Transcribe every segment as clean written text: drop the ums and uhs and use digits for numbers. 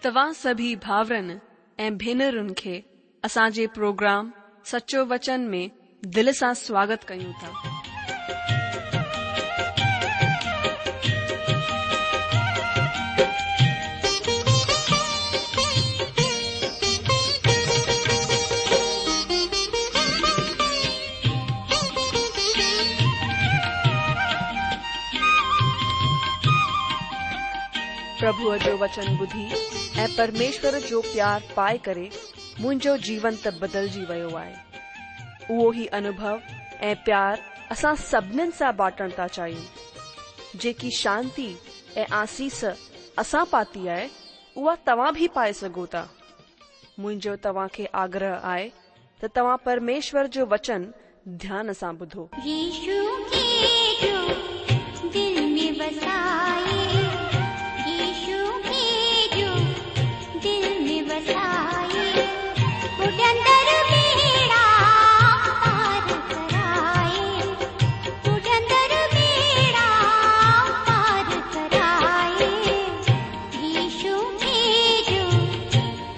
توهان سڀئي ڀائرن ۽ ڀينرن کي اسان جي پروگرام سچو وچن ۾ دل سان سواگت ڪيون ٿا. پرڀوء جو وچن ٻڌي ۽ پرميشور جو پيار پائي ڪري منهنجو جيون ته بدلجي ويو آهي. اهو ئي انوڀو ۽ پيار اسان سڀنين سان بانٽڻ ٿا چاهيون. جيڪي شانتي ۽ آسيس اسان پاتي آهي، اها توهان به پائي سگهو ٿا. منهنجو توهان کي آگرهه آهي ته توهان پرميشور جو وچن ڌيان سان ٻڌو. يشو کي جو دل ۾ وسائي يشو کي جو دل ۾ وسائي ٻڏندڙ ٻيڙا پار ڪرائي ٻڏندڙ ٻيڙا پار ڪرائي يشو کي جو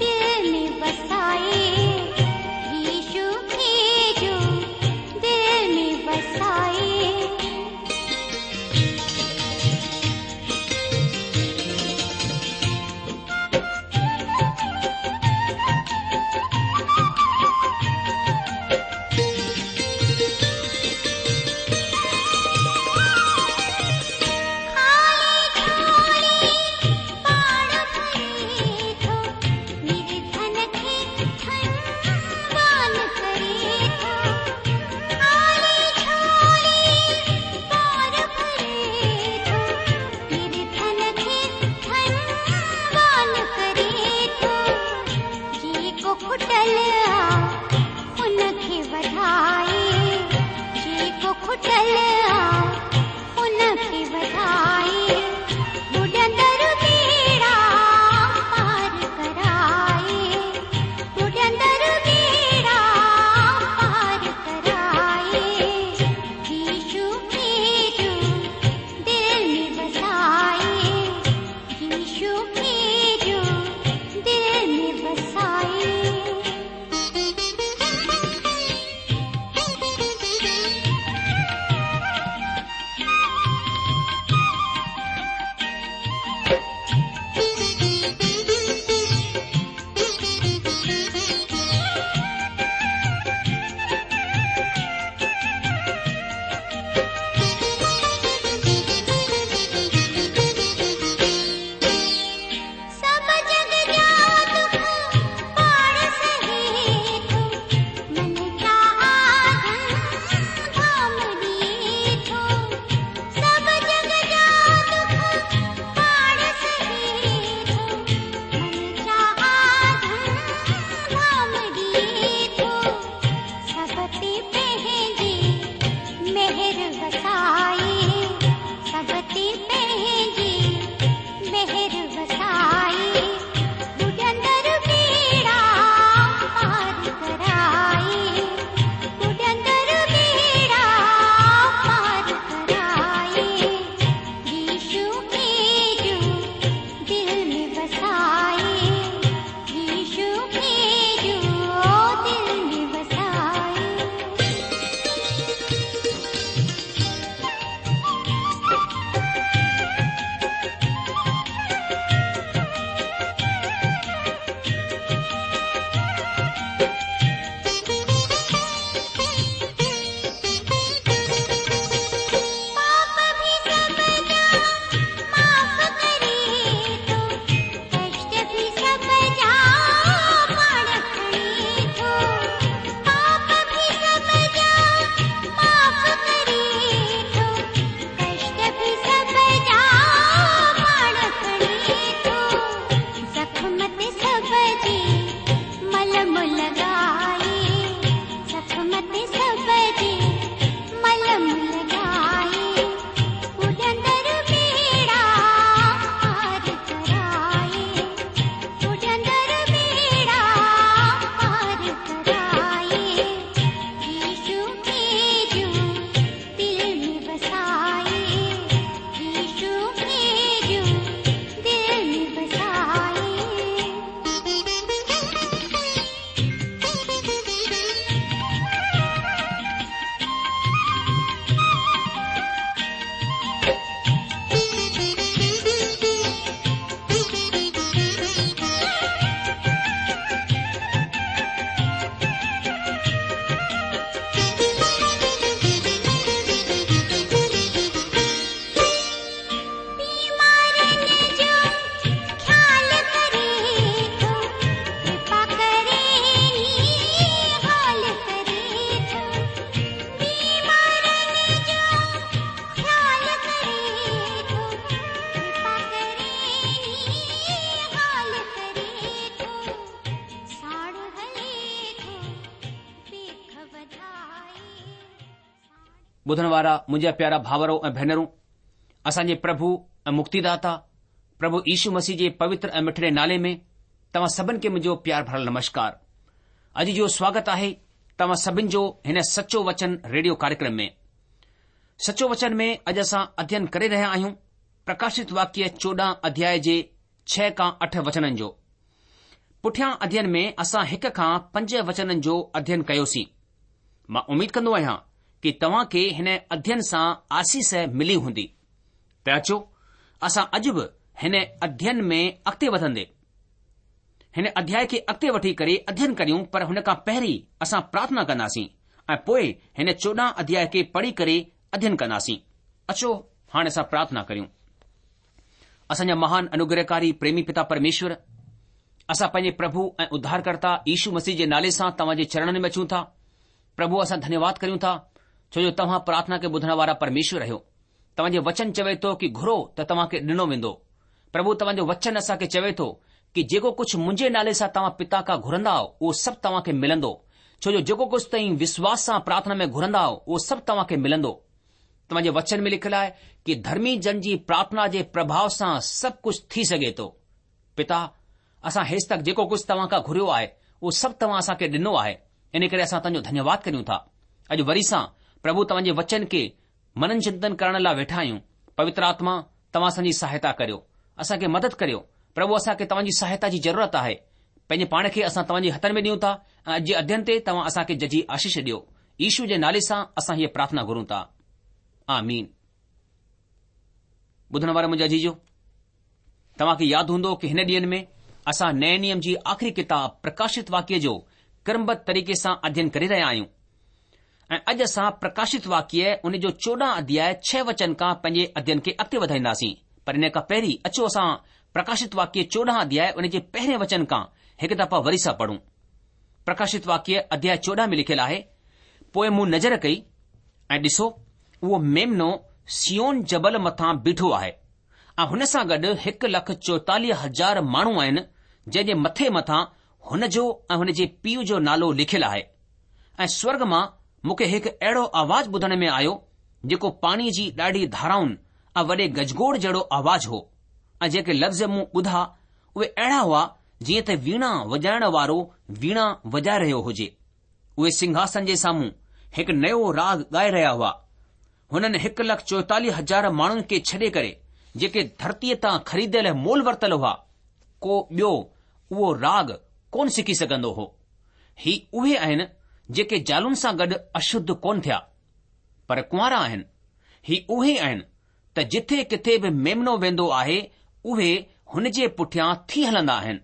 دل ۾ وسائي يشو کي جو دل ۾ وسائي. ٻڌڻ وارا منهنجا پيارا ڀاورو ۽ ڀينرون، اسان جي پرڀو ۽ مڪتيداتا پرڀو يشو مسيح جي پوتر ۽ مٺڙي نالي ۾ توهان سڀن کي منهنجو پيار ڀرل نمشڪار. اڄ جو سواگت آهي توهان سڀن جو هن سچو وچن ريڊيو ڪاريڪرم ۾. سچو وچن ۾ اڄ اسان اڌين ڪري رهيا آهيون پرڪاشت واڪيه 14 اڌياء جي ڇهه کان اٺ وچنن جو. پٺيان اڌين ۾ اسان هڪ کان پنج وچنن جو اڌين ڪيوسين. مان اميد ڪندو آهيان ڪي توهان کي هن اڌين سان آسيس ملي هوندي. ته اچو اسان اڄ به هن اڌين ۾ اڳتي وڌندي هن اڌياء کي اڳتي وٺي ڪري اڌين ڪريون پر هن کان پهرين اسان پرارٿنا ڪنداسين ۽ پوء هن 14 اڌياء کي پڙهي ڪري اڌين ڪنداسين. اچو هاڻي اسان پرارٿنا ڪريون. اسان جا مهان انوگرهڪاري پريمي پتا پرميشور، اسان پنهنجي پرڀو ۽ اڌارڪرتا يشو مسيح جي نالي سان توهان جي چرڻن ۾ اچون ٿا. پرڀو اسان ڌنيواد ڪريون ٿا ڇو جو توهان پرارٿنا کي ٻڌڻ وارا پرميشور آهيو. توهان جو وچن چوي ٿو ڪي گهرو ته توهان کي ڏنو ويندو. پرڀو توهان جو وچن اسان کي چوي ٿو ڪي جيڪو ڪجهه منهنجي نالي سان توهان پتا کان گهرندائو اهو سڀ توهان کي ملندو. ڇو جو جيڪو ڪجهه توهين وشواس سان پرارٿنا ۾ گهرندائو اهو سڀ توهان کي ملندو. توهان جي وچن ۾ لکيل آهي ڪي ڌرمي جن جي پرارٿنا جي پرڀاء سان سڀ ڪجهه ٿي سگهي ٿو. پتا، اسان هيستڪ جيڪو ڪجهه توهان کان گهريو آهي، اهو سڀ توهان اسان کي ڏنو آهي، ان ڪري اسان توهان جو ڌنيواد ڪريون ٿا. اڄ وري سان پرڀو توهان جي وچن کي منن چنتن ڪرڻ لاء ويٺا آهيون. پوتر آتما، توهان اسان جي سهائتا ڪريو. اسان کي مدد ڪريو. پرڀو اسان کي توهان جي سهائتا جي ضرورت آهي. پنهنجي پاڻ کي اسان توهان جي هٿن ۾ ڏيون ٿا ۽ اڄ جي اڌين تي توهان اسان کي ججهي آشيش ڏيو. يشو جي نالي سان اسان هيء پرارٿنا گهرون ٿا. آمين. ٻڌڻ وارا منهنجا عزيزو! توهان کي ياد هوندو ڪي هن ڏينهن ۾ اسان نئين نيم جي آخري ڪتاب پرڪاشت واڪيه جو ڪرمبڌ طريقي سان اڌين ڪري رهيا آهيون ۽ اڄ اسان پرڪاشت واڪيه ان جو 14 اڌياء ڇهه وچن کان پنهنجي اڌين کي اڳتي وڌائينداسين پر ان کان پهرين اچو اسان پرڪاشت واڪيه 14 اڌياء ان جي پهرين وچن کان هڪ دفعا وري سان پڙهون. پرڪاشت واڪيه اڌياء 14 ۾ لکيل آهي، پوء مون نظر ڪئي ۽ ڏسو اهو ميمنو صيون جبل مٿان بيٺو آهي ۽ هن سان گڏ 1,44,000 ماڻهو آهن، جنهن جي مٿي مٿان هن جو ۽ هن جي پيء جو نالو لکيل آهي. ۽ سورڳ مان مون کي هڪ اهڙو آواز ٻڌڻ ۾ آيو، جيڪو پاڻيء جي ڏاڍي ڌارائن ۽ وڏي گجگوڙ جهڙو آواز هو، ۽ جيڪي لفظ مون ٻڌا، اهي اهڙا هئا، جيئن ته ويڻا وڄائڻ وارو ويڻا وڄائي رهيو هجي. اهي سنگهاسن جي سامهون هڪ نيو راڳ ڳائي رهيا هئا. هنن 1,44,000 ماڻهن کي ڇڏي ڪري، جيڪي ڌرتيء تان خريديل مول ورتل هئا، ڪو ٻيو اهو راڳ ڪونه سکي سگهندو هو. هي اهي آهن جيڪي زالن سان گڏ اشڌ ڪونه ٿيا، پر ڪنوارا آهن. هي اهي آهن ته جٿي ڪٿي به ميمنو ويندو آهي، اهي هن جي پٺيان ٿي هلندا آهن.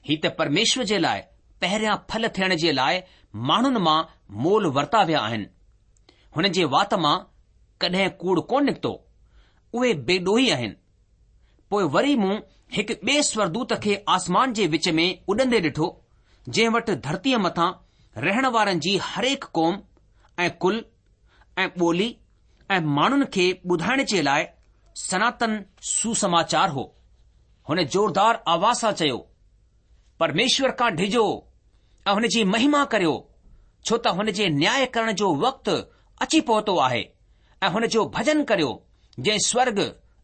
هي ته پرميشور جي لاء پهريان ڦل ٿيڻ جي لاء ماڻهن مان مول ورتا ويا آهن. هن جي وات مان ڪڏهن ڪوڙ ڪونه نڪتو. اهي بي ڏوهي آهن. پوء وري مون هڪ ٻئي سورگدوت کي آسمان جي وچ ۾ اڏندي ڏٺو، جنهن وٽ ڌرتيء مٿان رهڻ وارن جي هرهڪ قوم ۽ ڪل ۽ ٻولي ۽ ماڻهن کي ٻڌائڻ جي لاء سناتن سوسماچار هو. هن زوردار آواز سان چيو، پرميشور کان ڊڄو ۽ هن جي مهما ڪريو، ڇو ته هن جي نياء ڪرڻ جو وقت اچي پهتو آهي ۽ هن جو ڀجن ڪريو، جنهن سورڳ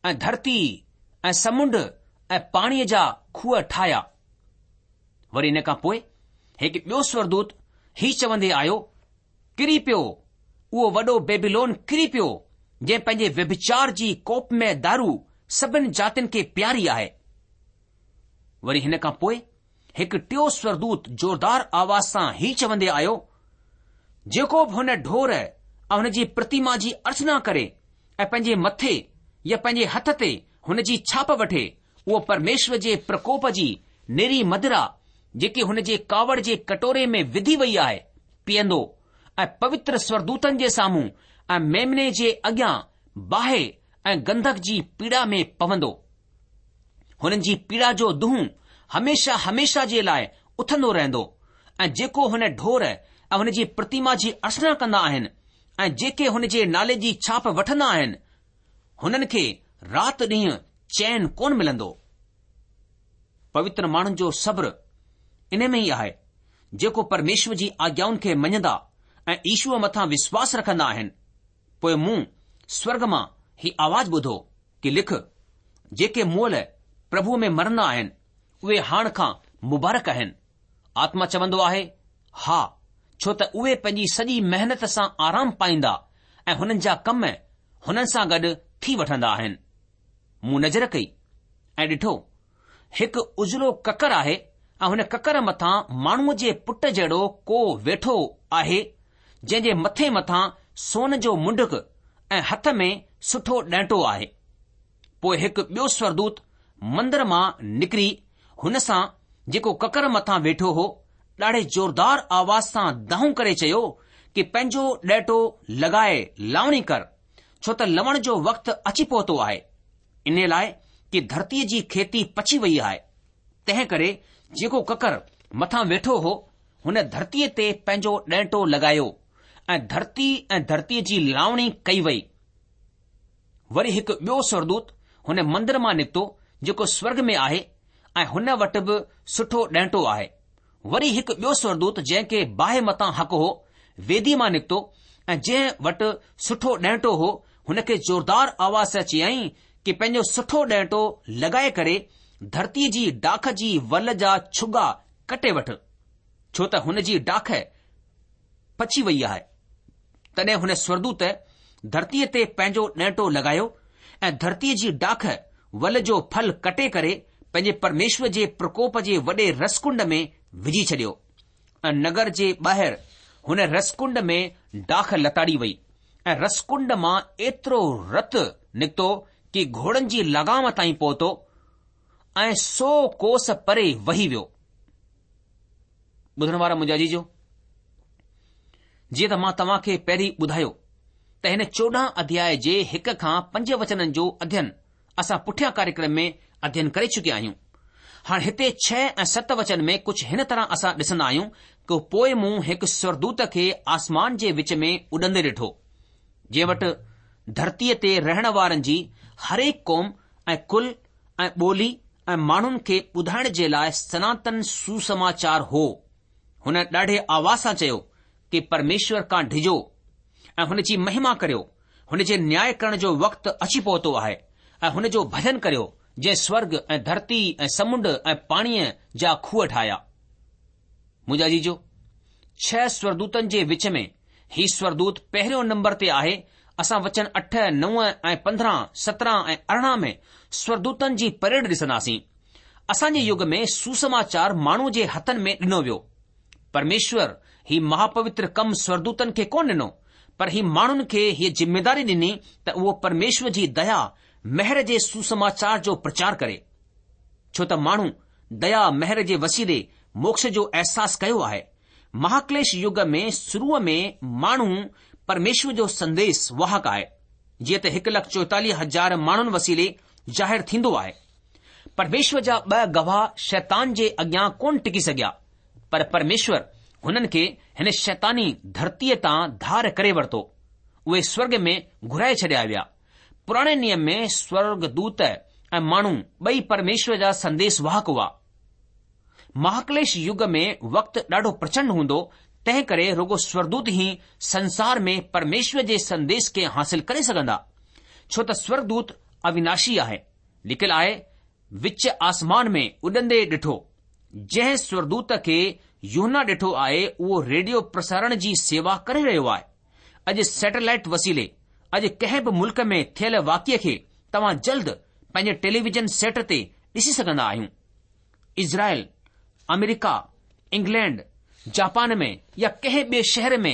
۽ ڌرتي ۽ سمنڊ ۽ پاڻيء جا کوهه ٺاهيا. وري ان کان پوء هڪ ٻيو سورگدوت هي چوندي آيو، ڪري پيو، اهو وڏو بيبيلون ڪري پيو، جنهن پنهنجي ويڀچار جي ڪوپ ۾ دارو سڀن جاتين کي پياري آهي. وري هن کان پوء هڪ ٽيو سورگدوت زوردار آواز سان هي چوندي آيو، جيڪو به هن ڍور ۽ هن جي پرتيما جي ارچنا ڪري ۽ پنهنجي مٿي يا پنهنجي هٿ تي هن جي ڇاپ وٺي، اهو پرميشور جي پرڪوپ جي نيري مدرا، جيڪي هن جي ڪاوڙ جي ڪٽوري ۾ وڌي وئي آهي، پيئندو ۽ پوتر سورگدوتن جي سامهون ۽ ميمني جي اڳيان باهه ۽ گنڌڪ جي پيڙا ۾ پوندو. هنن جي پيڙا جو دونهون هميشه هميشه جي لاء اٿندو رهندو ۽ جيڪو هن ڍور ۽ هن جي پرتيما جي ارچنا ڪندا آهن ۽ جيڪي هن جي نالي جي ڇاپ وٺندا آهن، هنن کي رات ڏينهن چين ڪونه ملندو. پوتر ماڻهن جو صبر ان ۾ ئي آهي، جيڪو پرميشور جي آگيائن کي مڃندا ۽ يشوء مٿان وشواس رکندا آهن. پوء مون سورڳ مان هي آواز ٻڌو ڪي لک، جيڪي مئل پرڀوء ۾ مرندا آهن، اهي هاڻ کان مبارڪ آهن. آتما چوندو آهي، ها، ڇو ته اهي پنهنجي سڄي محنت سان آرام پائيندا ۽ هنن جا ڪم هنن سان گڏ ٿي وٺندا آهن. مون نظر ڪئي ۽ ڏٺو، هڪ اجلو ڪڪر آهي ۽ هن ڪڪر مٿان ماڻهوء جي پٽ جهڙو ڪو ويٺو آهي، جنهن جي مٿي مٿان سون جو منڊڪ ۽ هٿ ۾ سٺو ڏنٽو آهي. پوء هڪ ٻيو سورگدوت مندر مان نڪري هن سان جيڪو ڪڪر مٿان ويٺو هو، ڏاڍي زوردار آواز سان دانهون ڪري چيو ڪي پنهنجو ڏنٽو لڳائي لاوڻي ڪر، ڇو ته لوڻ جو وقت اچي پهتو آهي. انهيء لاء ڪي ڌرتيء جي کيتي پچي ويئي آهي. تنهن ڪري جيڪو ڪڪر مٿان ويٺو هو، هن ڌرتيء تي پنهنجو ڏنٽو لڳايو ۽ ڌرتي ۽ ڌرتيء جي لاوڻي ڪئي وئي. وري هڪ ٻيو سورگدوت هن مندر مان نڪتو جيڪو سورگ ۾ آهي ۽ هن وٽ به سٺو ڏنٽو آهي. وري هڪ ٻيو سورگدوت جنهن کي باهه مٿان حق هو، ويديء مان نڪتو ۽ جنهن وٽ سٺو ڏنٽو هو، هن کي زوردار آواز سان چيائين ڪي پنهنجو سٺو ڏنٽو لڳائي ڪري ڌرتيء جي ڊاک جي ول جا ڇڳا ڪٽي وٺ، ڇو ته هن جي ڊاک پچي وئي آهي. تڏهن هن سورگدوت ڌرتيء تي پنهنجو ڏنٽو لڳايو ۽ ڌرتيء جي ڊاک ول جو ڦل ڪٽي ڪري پنهنجي پرميشور جي پرڪوپ جي وڏي رسڪنڊ ۾ وجهي ڇڏيو ۽ نگر جي ٻاهر هن رسڪنڊ ۾ ڊاک لتاڙي وئي ۽ رسڪنڊ مان ايترو رت نڪتو ڪي گهوڙن جي لغام تائين پهتو ۽ سو ڪوس پري وهي ويو. ٻڌڻ وارا منهنجا عزيزو! جيئن ته مان توهان کي پهرين ٻڌايو ته هن 14 اڌياء جي هڪ کان پنج وچنن جو اڌين اسان پٺيان ڪاريڪرم ۾ اڌين ڪري چڪيا آهيون. هاڻ هتي ڇهه ۽ ست وچن ۾ ڪجهه هن طرح اسان ڏسندا آهيون ڪه پوء مون هڪ سورگدوت کي آسمان جي وچ ۾ اڏندي ڏٺو، جنهن وٽ ڌرتيء تي رهڻ وارن جي هرهڪ قوم ۽ ڪل ۽ ٻولي ۽ ماڻهن کي ٻڌائڻ جي لاء سناتن سوسماچار هو. هن ڏاڍي آواز سان چيو ڪي پرميشور کان ڊڄو ۽ هن جي مهما ڪريو، هن جي نياء ڪرڻ جو وقت اچي پهتو آهي ۽ هن جو ڀجن ڪريو جنهن سورگ ۽ ڌرتي ۽ سمنڊ ۽ پاڻيء جا کوهه ٺاهيا. منهنجا عزيزو، ڇهه سورگدوتن جي وچ ۾ هي سورگدوت پهريون نمبر تي آهي. اسان وچن اٺ، نو ۽ 15، 17 ۽ 18 ۾ سورگدوتن جي پريڊ ڏسنداسين. اسان جي يگ ۾ سوسماچار ماڻهو جي هٿن ۾ ڏنو ويو. پرميشور هي مهاپوتر ڪم سورگدوتن کي ڪونه ڏنو، پر هي ماڻهن کي هيء ذميداري ڏني ته اهو پرميشور جي ديا، مهر جي سوسماچار جو پرچار ڪري. ڇو ته ماڻهو ديا مهر جي وسيلي موڪش جو احساس ڪيو آهي. مهاڪليش يگ ۾ شروع ۾ ماڻهو پرميشور جو سنديس واهڪ آهي، جيئن ته هڪ لک چوئيتاليهه هزار ماڻهن وسيلي ظاهر ٿيندو آهي. پرميشور جا ٻه گواهه شيطان جي اڳيان ڪونه ٽڪي سگهيا، پر پرميشور هنن کي هن شيطاني ڌرتيء تان ڌار ڪري ورتو. اهي سورڳ ۾ گهرائي ڇڏيا ويا. پراڻي نيم ۾ سورڳدوت ۽ ماڻهو ٻئي پرميشور جا سنديس واهڪ هئا. مهاڪليش يگ ۾ وقت ڏاڍو پرچنڊ هوندو، تنهن ڪري رڳو سورڳدوت ئي سنسار ۾ پرميشور جي سنديس کي حاصل ڪري سگهندا، ڇو ته سورڳدوت اويناشي آهي. لکيل آهي، وچ آسمان ۾ اڏندي ڏٺو. جنهن سورڳدوت کي يوحنا ڏٺو آهي، اهو ريڊيو پرسارڻ جي سيوا ڪري رهيو آهي. اڄ سيٽلائيٽ وسيلي اڄ ڪنهن به ملڪ ۾ ٿيل واقعي کي توهان جلد پنهنجي ٽيليويزن سيٽ تي ڏسي سگهندا آهيون. اسرائيل، آمريڪا، انگلينڊ، جاپان ۾ يا ڪنهن ٻئي شهر ۾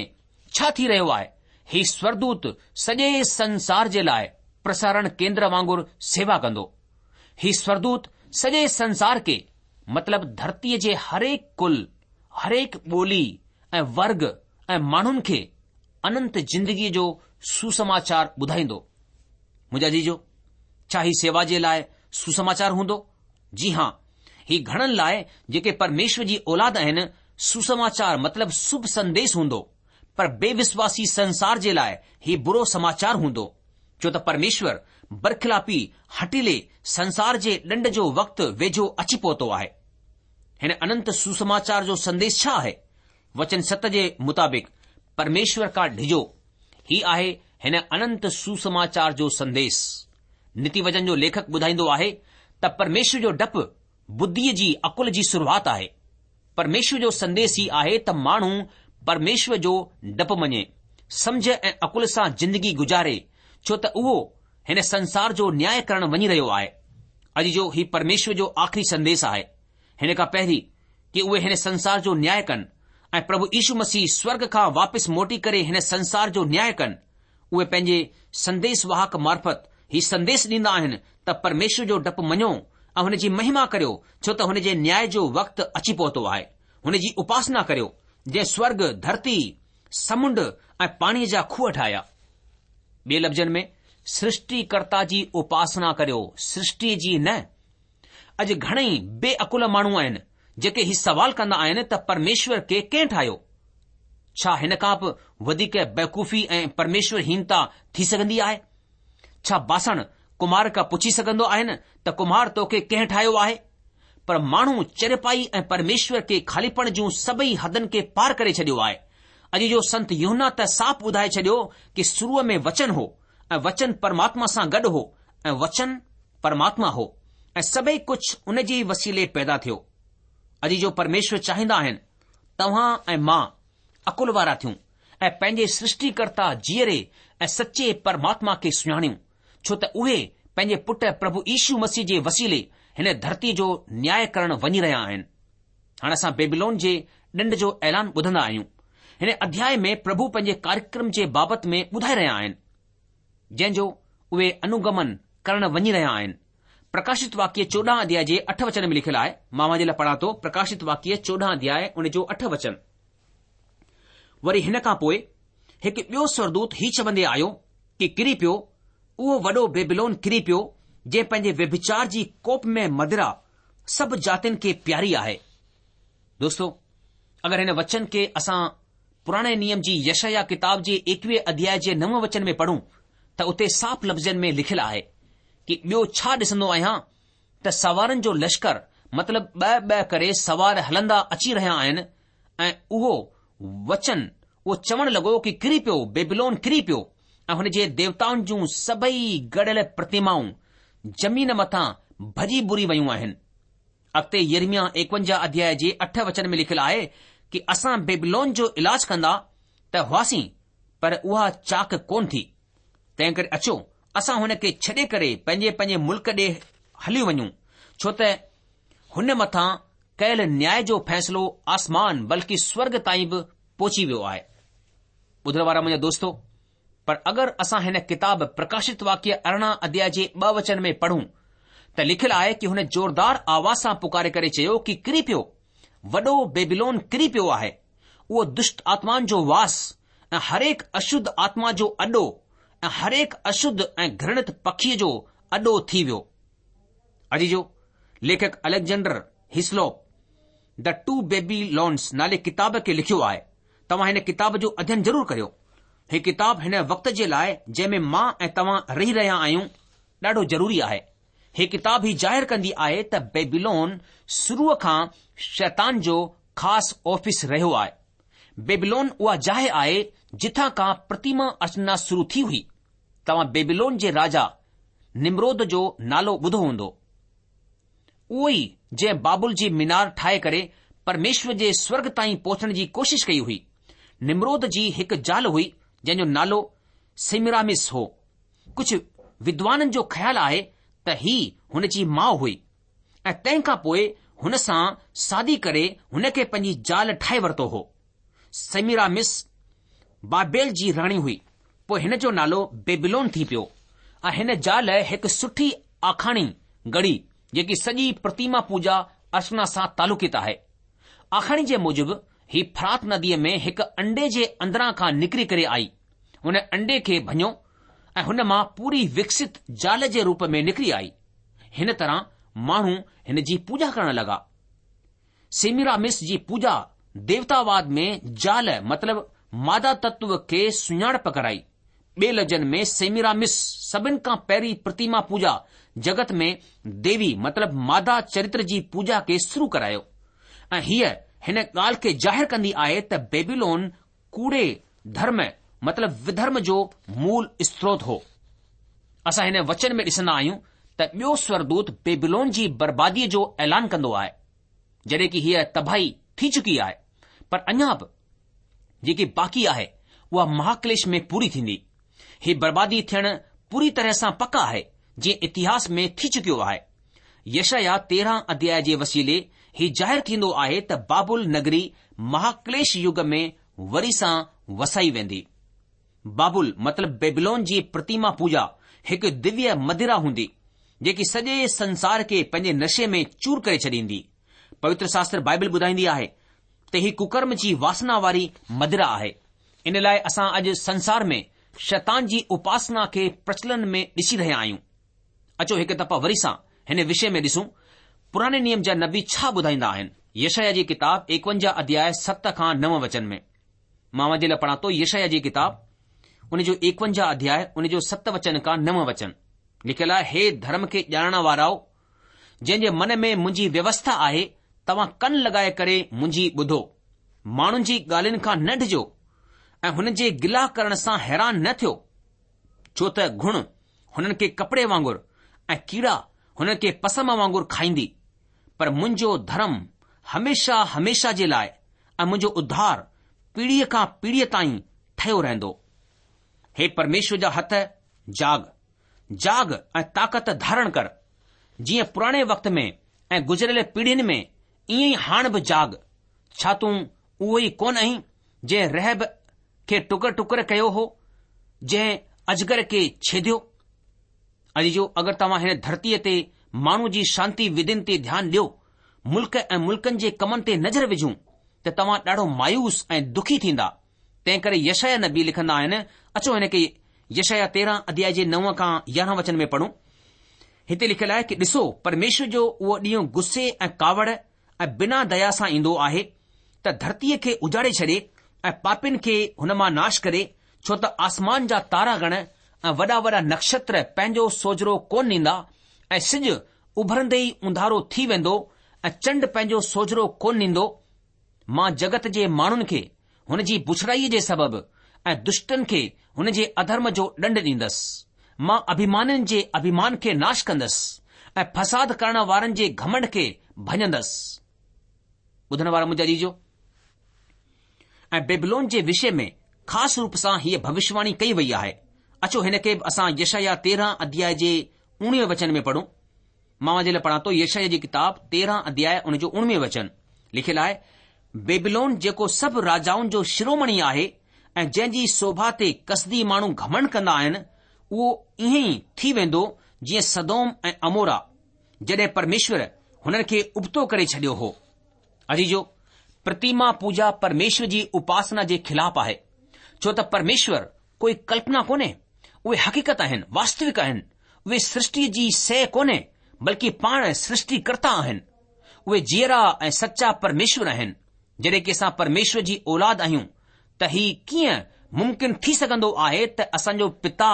ڇا ٿي رهيو آهي، هي سورڳدوت سڄي سنسار جي لاء پرسارڻ ڪيندر وانگر سيوا ڪندو. هي سورڳدوت سڄي سنسار کي مطلب ڌرتيء جي هرهڪ ڪل، هرهڪ ٻولي ۽ ورگ ۽ ماڻهن کي اننت زندگيء جو سوسماچار ٻڌائيندو. منهنجا عزيزو، ڇا هي سيوا جي لاء سوسماچار هوندو؟ جي هان، هي گهڻن لاء جيڪي پرميشور جي اولاد آهن، سوسماچار مطلب شڀ سنديش هوندو، پر بي وشواسي سنسار جي لاء هي برو سماچار هوندو، ڇو ته پرميشور برخلافي هٺيلي سنسار جي ڏنڊ جو وقت ويجهو اچي پهتو آهي. هن اننت سوسماچار جو سنديش ڇا آهي؟ وچن ست جي مطابق پرميشور کان ڊڄو. هي آهي هن اننت سوسماچار جو سنديس. نيتي وچن جو ليکڪ ٻڌائيندو آهي ته پرميشور جو ڊپ ٻڌيء جي عقل جي شروعات آهي. پرميشور جو سنديس هي آهي ته ماڻهو پرميشور جو ڊپ مڃي، سمجهه ۽ عقل سان زندگي گذاري ڇو ته اهو هن سنسار جو نياء ڪرڻ وڃي رهيو آهي. عزيزو هي پرميشور جو آخري سنديس آهي. هن کان پهرين ڪي اهي هن سنسار جو نياء ڪن ۽ پرڀو يشو مسيح سورڳ کان واپس موٽي ڪري هن سنسار جو نياء ڪن، اهي پنهنجي سنديس واهڪ معرفت هي سنديس ڏيندا آهن ته پرميشور جو ڊپ مڃو ۽ هن جي مهما ڪريو ڇو ته هن جي نياء جو وقت اچي پهتو آهي. هن جي اپاسنا ڪريو جنهن سورڳ، ڌرتي، سمنڊ ۽ پاڻيء جا کوهه ٺاهيا. ٻئي لفظن ۾ سرشٽيڪرتا جي اپاسنا ڪريو، سرشٽيء جي نه. اڄ گهڻئي بي عقل ماڻهو آهن جيڪي هي سوال ڪندا آهن ته پرميشور کي ڪنهن ٺاهيو؟ ڇا هن کان به وڌيڪ بيوقوفي ۽ پرميشور هينتا ٿي سگهندي آهي؟ ڇا باسڻ ڪمهار کان پڇي سگهندو آهن ته ڪمهار توکي ڪنهن ٺاهيو آهي؟ پر ماڻهو چريپائي ۽ پرميشور کي خاليپڻ جون سڀئي حدن کي پار ڪري ڇڏيو آهي. اڄ جو سنت يوحنا ته صاف ٻڌائي ڇڏيو ڪي شروع ۾ وچن هو ۽ وچن پرماتما سان گڏ هو ۽ وچن پرماتما هو ۽ سڀئي ڪجهه ان جي ئي وسيلي پيدا ٿيو. عزيزو پرميشور چاهيندا آهن توهان ۽ مان عقل وارا ٿيون ۽ پنهنجي سرشٽيڪرتا جيئري ۽ سچي پرماتما کي سڃاڻيون ڇو ته اهي پنهنجي پٽ پرڀو يشو مسيح جي وسيلي هن ڌرتي جو نياء ڪرڻ وڃي رهيا آهن. هاڻ اسان بيبلون جي ڏنڊ جو اعلان ٻڌندا آهيون. هن اڌياء ۾ پرڀو پنهنجي ڪاريڪرم جي بابت ۾ ٻڌائي رهيا آهن. جنهن جو اهي انوگمن ڪرڻ وڃي رهيا آهن. پرڪاشت واڪيه 14 اڌياء جي اٺ وچن ۾ لکيل آهي، مان اوهان جي لاء پڙهان ٿو، پرڪاشت واڪيه 14 اڌياء ان جو اٺ وچن. وري هن کان پوء هڪ ٻيو سورگدوت هي چوندي آيو ڪي ڪري پيو، اهو وڏو بيبلون ڪري پيو، جنهن پنهنجي ويڀچار جي ڪوپ ۾ مدرا سڀ جاتين کي پياري آهي. دوستو! اگر هن وچن کي اسان پراڻي نيم جي يشعيا ڪتاب جي ايڪويهه اڌياء جي نو وچن ۾ پڙهون ته اتي صاف لفظن ۾ لکيل آهي ڪي ٻيو ڇا ڏسندو آهيان ته سوارن جو لشڪر مطلب ٻه ٻه ڪري سوار هلندا اچي رهيا آهن ۽ اهو وچن اهو چوڻ لڳو ڪي ڪري پيو بيبلون ڪري پيو ۽ هن جي ديوتائن جون سڀئي گڙهيل پرتمائون زمين مٿان ڀڄي ڀري ويون آهن. اڳتي يرمياه ايڪونجاهه اڌياء جي اٺ وچن ۾ لکيل آهي ڪي اسان بيبلون جو علاج ڪندا ته هئاسين پر اها چاڪ ڪونه ٿي. تنهنڪري اچو اسان هن کي ڇڏي ڪري پنهنجي پنهنجي ملڪ ڏي هليو وڃون ڇو ته هن مٿان ڪيل نياء جو فيصلو آسمان بلڪه سورڳ تائين به پهچي ويو آهي. ٻڌڻ وارا منهنجا دوستو! پر اگر اسان هن ڪتاب پرڪاشت واڪيه 18 اڌياء جي ٻه وچن ۾ پڙهون ته لکيل آهي ڪي هن زوردار آواز سان پڪاري ڪري چيو ڪي ڪري پيو، وڏو بيبيلون ڪري پيو آهي، اهو دشٽ آتمائن جو واس ۽ هرهڪ اشڌ آتما جو اڏو ۽ هرهڪ اشڌ ۽ گهرڻت پکيء جو اڏو ٿي ويو. عزيزو، ليکڪ اليگزينڊر هسلوپ The Two Babylons نالي ڪتاب کي لکيو آهي. توهان هن ڪتاب جو اڌين ضرور ڪريو. هي ڪتاب هن وقت جي لاء جنهن ۾ مان ۽ توهان رهي رهيا آهيون ڏاڍو ضروري آهي. هي ڪتاب هي ظاهر ڪندي آهي ته بيبيلون شروع کان شيطان جو خاص آفيس رهيو آهي. بيبيلون اها جاء آهي جتان کان پرتيما ارچنا شروع ٿي هئي. توهان بيبيلون جي راجا نمرود جو نالو ٻڌو هوندو. اهو ئي جنهن بابل جي مينار ٺاهي ڪري پرميشور جي سورڳ تائين پهچڻ جي ڪوشش ڪئي هئي. نمرود جي هڪ زال هئي جنهن جو نالو سيميرامس هو. ڪجهه ودوانن جو خيال آهي ته هي هن جي ماء هئي ۽ تنهن کان پوء هن سان شادي ڪري هن کي پنهنجي زال ٺاهي ورتو هو. سيميرامس بابيل جي راڻي هئي، پوء هن جو نالو بيبيلون ٿي پيو ۽ هن زال هڪ سٺي آکاڻي گهڙي جيڪي سڄي پرتيما پوڄا ارچنا سان تعلقيت آهي. آکاڻي جي موجب هي فرات نديء ۾ هڪ انڊي جي اندران کان نڪري ڪري آئي. هن انڊي کي ڀڃيو ۽ هن مان پوري وڪست زال جي روپ ۾ نڪري آئي. هن طرح ماڻهو هن جي پوڄا ڪرڻ لڳا. سيميرامس جي پوڄا ديوتاواد ۾ زال مطلب مادا تتو کي سڃاڻپ ڪرائي. ٻئي لفظن ۾ سيميرامس سڀن کان پهرين پرتيما پوڄا جڳت ۾ ديوي مطلب مادا چريتر جي پوڄا کي شروع ڪرايو ۽ هيء هن ڳالهه کي ظاهر ڪندي آهي ته بيبيلون ڪوڙي ڌرم مطلب وڌرم جو مول استروت هو. اسان هن وچن ۾ ڏسندا آهيون ته ٻيو سورگدوت بيبلون جي برباديء جو اعلان ڪندو آهي. جڏهن ڪي هيء تباهي ٿي چڪي آهي، پر اڃا به جيڪي باقي آهي اها مهاڪليش ۾ پوري ٿيندي. هي بربادي ٿيڻ پوري طرح سان پڪ آهي، جيئن اتهاس ۾ ٿي چڪيو آهي. يشعيا 13 اڌياء جي وسيلي هي ظاهر ٿيندو آهي ته بابل نگري مهاڪليش يگ ۾ وري سان وسائي ويندي. بابل مطلب بيبلون جي پرتيما پوڄا هڪ دويه مدرا هوندي، جيڪي سڄي سنسار کي پنهنجي نشي ۾ چور ڪري ڇڏيندي. پوتر شاستر بائبل ٻڌائيندي آهي ته هي ڪڪرم جي واسنا واري مدرا آهي. ان لاء اسان اڄ سنسار ۾ شيطان جي اپاسنا کي پرچلن ۾ ڏسي رهيا آهيون. اچو هڪ دفعا وري سان هن وشي ۾ ڏسون پراڻي نيم جا نبي ڇا ٻڌائيندا آهن. يشعيا جي ڪتاب ايڪونجاهه اڌياء ست کان نو وچن ۾. مان اوهان جي لاء پڙهان ٿو يشعيا جي ڪتاب ان جو ايڪونجاهه اڌياء ان جو ست وچن کان نو وچن. لکيل آهي، هي ڌرم کي ڄاڻڻ وارائو، جنهن جي من ۾ منهنجي ويوسٿا آهي، توهان ڪن لڳائي ڪري منهنجي ٻڌو. ماڻهن جي ڳالهين کان نه ڊڄو ۽ هنن جي گلا ڪرڻ سان حيران نه ٿيو، ڇو ته گهڻ هنن کي ڪپڙي وانگر ۽ ڪيڙا هنن کي پسم وانگر کائيندي، پر منهنجو ڌرم هميشه هميشه جي لاء ۽ منهنجو اڌار پيڙهيء کان پيڙهيء تائين ٺهيو رهندو. هي پرميشور جا هٿ، جاڳ، جاڳ ۽ طاقت ڌارڻ ڪر. جيئن پراڻي وقت ۾ ۽ گذريل پيڙهين ۾ ائين ئي هاڻ به جاڳ. ڇا تون اهو ئي ڪونه آهين جنهن رهب کي ٽڪر ٽڪر ڪيو هو، جنهن اجگر کي ڇيديو؟ عزيزو، اگر توهان هن ڌرتيء تي ماڻهوء جي شانتي وڌين تي ڌيان ڏيو، ملڪ ۽ ملڪن جي ڪمن تي نظر وجهون ته توهان ڏاڍو مايوس ۽ دکي ٿيندا. تنهنڪري يشعيا نبي لکندا آهن، اچو هن کي يشعيا 13 اڌيائي جي نو کان 11 وچن ۾ پڙهون. هتي لکيل آهي ڪي ڏسو پرميشور جو اهو ڏينهن غصي ۽ ڪاوڙ ۽ بنا ديا سان ايندو آهي ته ڌرتيء کي اجاڙي ڇڏي ۽ پاپين کي هن مان ناش ڪري، ڇو ته آسمان جا تارا گڻ ۽ وڏا وڏا نڪشتر پنهنجو سوجهرو ڪونه ڏيندا ۽ سج اڀرندي ئي اونڌارو ٿي ويندو ۽ چنڊ پنهنجو سوجهرو ڪونه ڏيندو. مان جڳت جي ماڻهن کي هن جي بڇڙائيء جي سبب ۽ دشٽن کي هن جي اڌرم جو ڏنڊ ڏيندس. مان اڀيمانين جي اڀيمان کي ناش ڪندس ۽ فساد ڪرڻ وارن جي گهمنڊ کي ڀڃندس. ٻڌڻ وارا منهنجا عزيزو! ۽ بيبلون جي وشي ۾ خاص روپ سان هيء ڀوشواڻي ڪئي وئي آهي. اچو هن کي به اسان يشعيا 13 اڌياء جي اوڻويهين وچن ۾ پڙهون. مان اوهان جي لاء پڙهان ٿو يشعيا جي ڪتاب 13 اڌياء ان جو اوڻويهين وچن. لکيل آهي، بيبلون جيڪو سڀ راجائن جو شرومڻي آهي ۽ جنهن جي سوڀا تي ڪسدي ماڻهو گهمنڊ ڪندا آهن، اهو ائين ئي ٿي ويندو جيئن سدوم ۽ عمورا، جڏهن پرميشور هنن کي ابتو ڪري ڇڏيو هو. عزيزو! پرتيما پوڄا پرميشور جي اپاسنا جي خلاف آهي، ڇو ته پرميشور ڪوئي ڪلپنا ڪونهي، اهي حقيقت آهن، واستوڪ آهن، اهي سرشٽيء جي شيء ڪونهي، بلڪه پاڻ سرشٽيڪرتا آهن. اهي جيئرا ۽ سچا پرميشور آهن. جڏهن ڪي اسان پرميشور جي اولاد آهيون ته هي ڪيئن ممڪن ٿي سگهندو آهي ته اسان جو پتا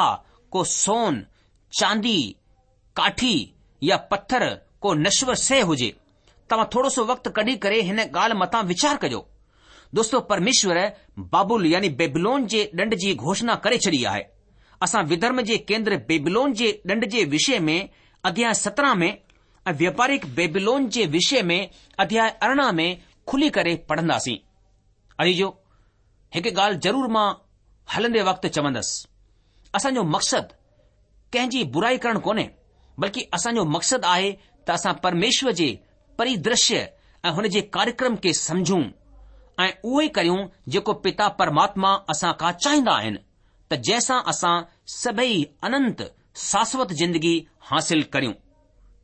ڪو سون، چاندي، ڪاٺي يا پٿر ڪو نشور شيء هجي. توهان ٿورو سو وقت ڪڍي ڪري هن ڳالهه مٿان ويچار ڪجو. دوستو پرميشور بابل يعني بيبلون جي ڏنڊ جي گهوشنا ڪري ڇڏي آهي. اسان وڌرم جي ڪيندر بيبلون جي ڏنڊ جي وشي ۾ اڌياء 17 ۾ ۽ وياپارڪ بيبلون جي وشي ۾ اڌياء 18 ۾ کلي ڪري پڙهنداسين. عزيزو هڪ ڳالهه ضرور مان هلندي وقت چوندس. اسان جو مقصد ڪنهن جي برائي ڪرڻ ڪونهي، بلڪه اسان جو مقصد آهي ته اسان پرميشور جي پريدرشيه ۽ هن جي ڪاريڪرم کي سمجهون ۽ اهو ئي ڪريون جيڪو پتا پرماتما اسان کان چاهيندا آهن ته جنهن سان اسان سڀئي اننت شاشوت زندگي حاصل ڪريون.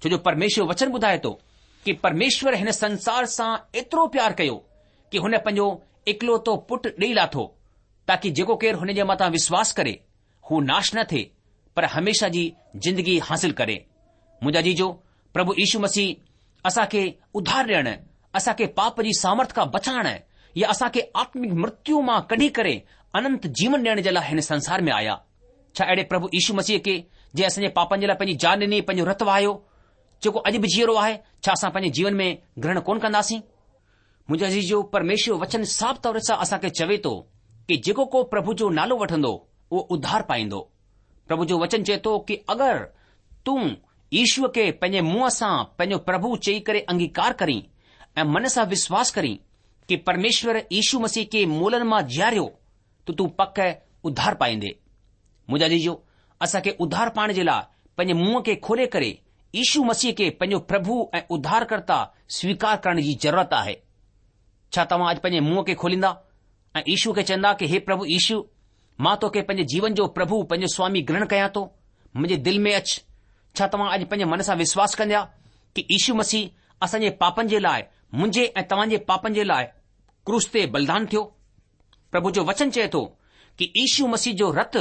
ڇو جو پرميشور وچن ٻڌائي ٿو ڪي پرميشور هن سنسار سان ايترو پيار ڪيو ڪي هن پنهنجو اڪلوتو پٽ ڏئي لاٿو تاڪي جيڪو ڪير هن جي مٿان وشواس ڪري هو ناش نه ٿئي پر هميشه جي زندگي حاصل ڪري. منهنجا عزيزو، پرڀو يشو مسيح اسان کي اڌار ڏيڻ، اسان کي پاپ جي سامرٿ کان بچائڻ يا اسان کي آتمڪ مرتيو مان ڪڍي ڪري اننت جيون ڏيڻ جي لاء هن سنسار ۾ آيا. ڇا اهڙي پرڀو يشو مسيح کي جنهن اسان جي پاپن جي لاء پنهنجي جان ڏني، پنهنجو رت وهايو، جيڪو اڄ به جيئرو آهي، ڇا اسان پنهنجي جيون ۾ گرهڻ ڪونه ڪنداسين؟ منهنجا عزيزو، پرميشور وچن صاف طور سان اسان کي چوي ٿو ڪي جيڪو ڪو پرڀو جو نالو وٺندو اهو اڌار پائيندو. پرڀو جو وچن چئي ٿو ڪي اگر تون يشوء کي پنهنجي منهن سان پنهنجو پرڀو چئي ڪري انگيڪار ڪرين ۽ من سان وشواس ڪرين ڪي پرميشور يشو مسيح کي مئلن مان جياريو ته تون پڪ اڌار پائيندي. منهنجا عزيزو، اسان کي اڌار پائڻ جي لاء پنهنجي منهن کي کولي ڪري يشو مسيح کي پنهنجو پرڀو ۽ اڌارڪرتا سويڪار ڪرڻ جي ضرورت آهي. ڇا توهان اڄ پنهنجي منهن کي کوليندا ۽ يشو کي چوندا ڪي هي پرڀو يشو، مان توکي پنهنجي جيون جو پرڀو، پنهنجو سوامي گرهڻ ڪيان ٿو، منهنجي دل ۾ اچ. ڇا توهان اڄ پنهنجي من سان وشواس ڪندا ڪي يشو مسيح اسان جي پاپن جي لاء، منهنجي ۽ توهان جي پاپن جي لاء ڪروس تي بلدان ٿيو؟ پرڀو جو وچن چئي ٿو ڪي يشو مسيح جو رت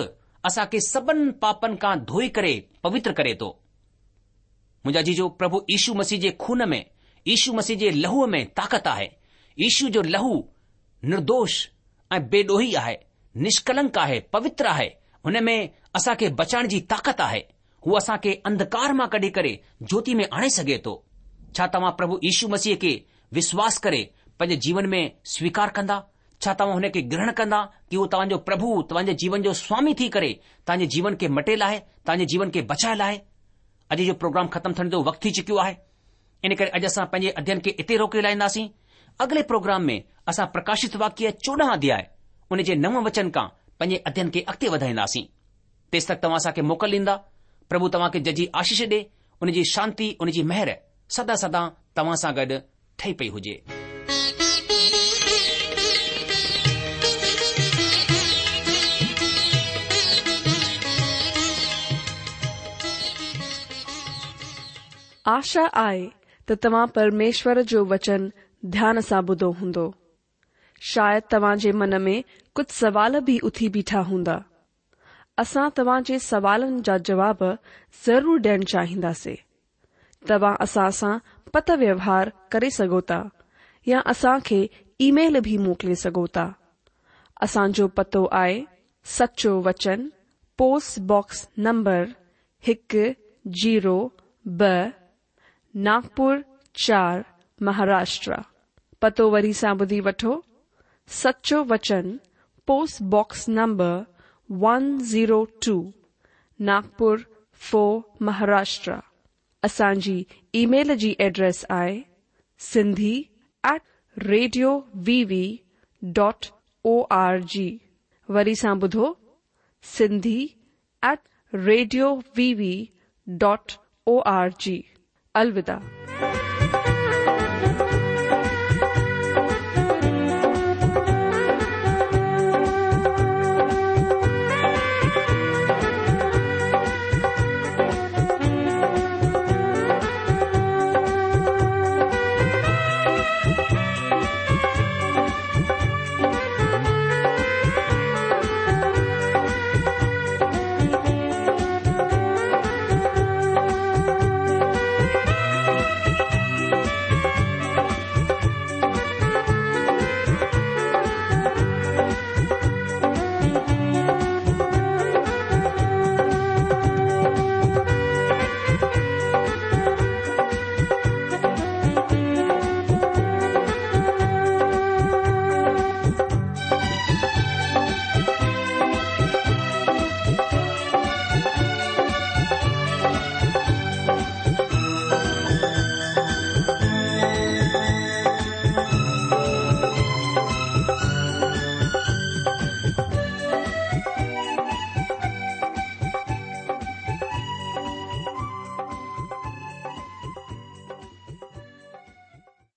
اسان کي سڀن پاپن کان ڌوئي ڪري پوتر ڪري ٿو. منهنجا عزيزو پرڀو يشو مسيح جي خون ۾ يشو مسيح جي لهوء ۾ طاقت آهي. يشو جو لهو نردوش ۽ بي ڏوهي آهي، نشڪلنڪ آهي، پوتر آهي، هن ۾ اسان کي بچائڻ جي طاقت آهي. هو اسان کي انڌڪار مان ڪڍي ڪري جوتي ۾ آڻي سگهي ٿو. ڇا توهان پرڀو يشو مسيح کي وشواس ڪري پنهنجي جيون ۾ سويڪار ڪندا؟ ڇا توهان هن کي گرهڻ ڪندا ڪي هو توهان جو پرڀو، توهان جي جيون جو سوامي ٿي ڪري توهان جي جيون کي مٽي لاهي، توهان جي جيون کي بچائي لاهي؟ اڄ جو پروگرام ختم ٿيڻ جو وقت ٿي چڪيو آهي. ان ڪري اڄ اسان پنهنجي اڌين کي اتي روڪي لاهينداسين. اڳلي پروگرام ۾ اسان پرڪاشت واڪيه 14 اڌياء ان جي نو وچن کان پنهنجي اڌين کي اڳتي وڌائينداسين. تيستڪ توهان اسان کي موڪل ڏيندا. پرڀو توهان کي ججهي آشيش ڏي، ان جي شانتي، ان جي مهر سدا سدا توهان سان گڏ ٺهي پئي هجي. آشا آهي ته توهان پرميشور جو وچن ڌيان سان ٻڌو هوندو. شايد توهان جي من ۾ ڪجهه سوال به اٿي بيٺا هوندا. اسان توهان جي سوالن جا جواب ضرور ڏيڻ چاهينداسين. توهان اسان سان پتر ويوهار ڪري سگهو ٿا يا اسان کي اي ميل به موڪلي سگهو ٿا. اسان جو پتو آهي سچو وچن پوسٽ باڪس نمبر هڪ زيرو ٻه ناگپور چار مهاراشٽرا. پتو وري سان ٻڌي وٺو، سچو وچن post box number one zero two Nagpur four Maharashtra. اسان جي اي ميل جي ايڊريس آهي Sindhi at radio V V dot O R G. وري سان ٻڌو Sindhi at radio V V dot O R G. الوداع.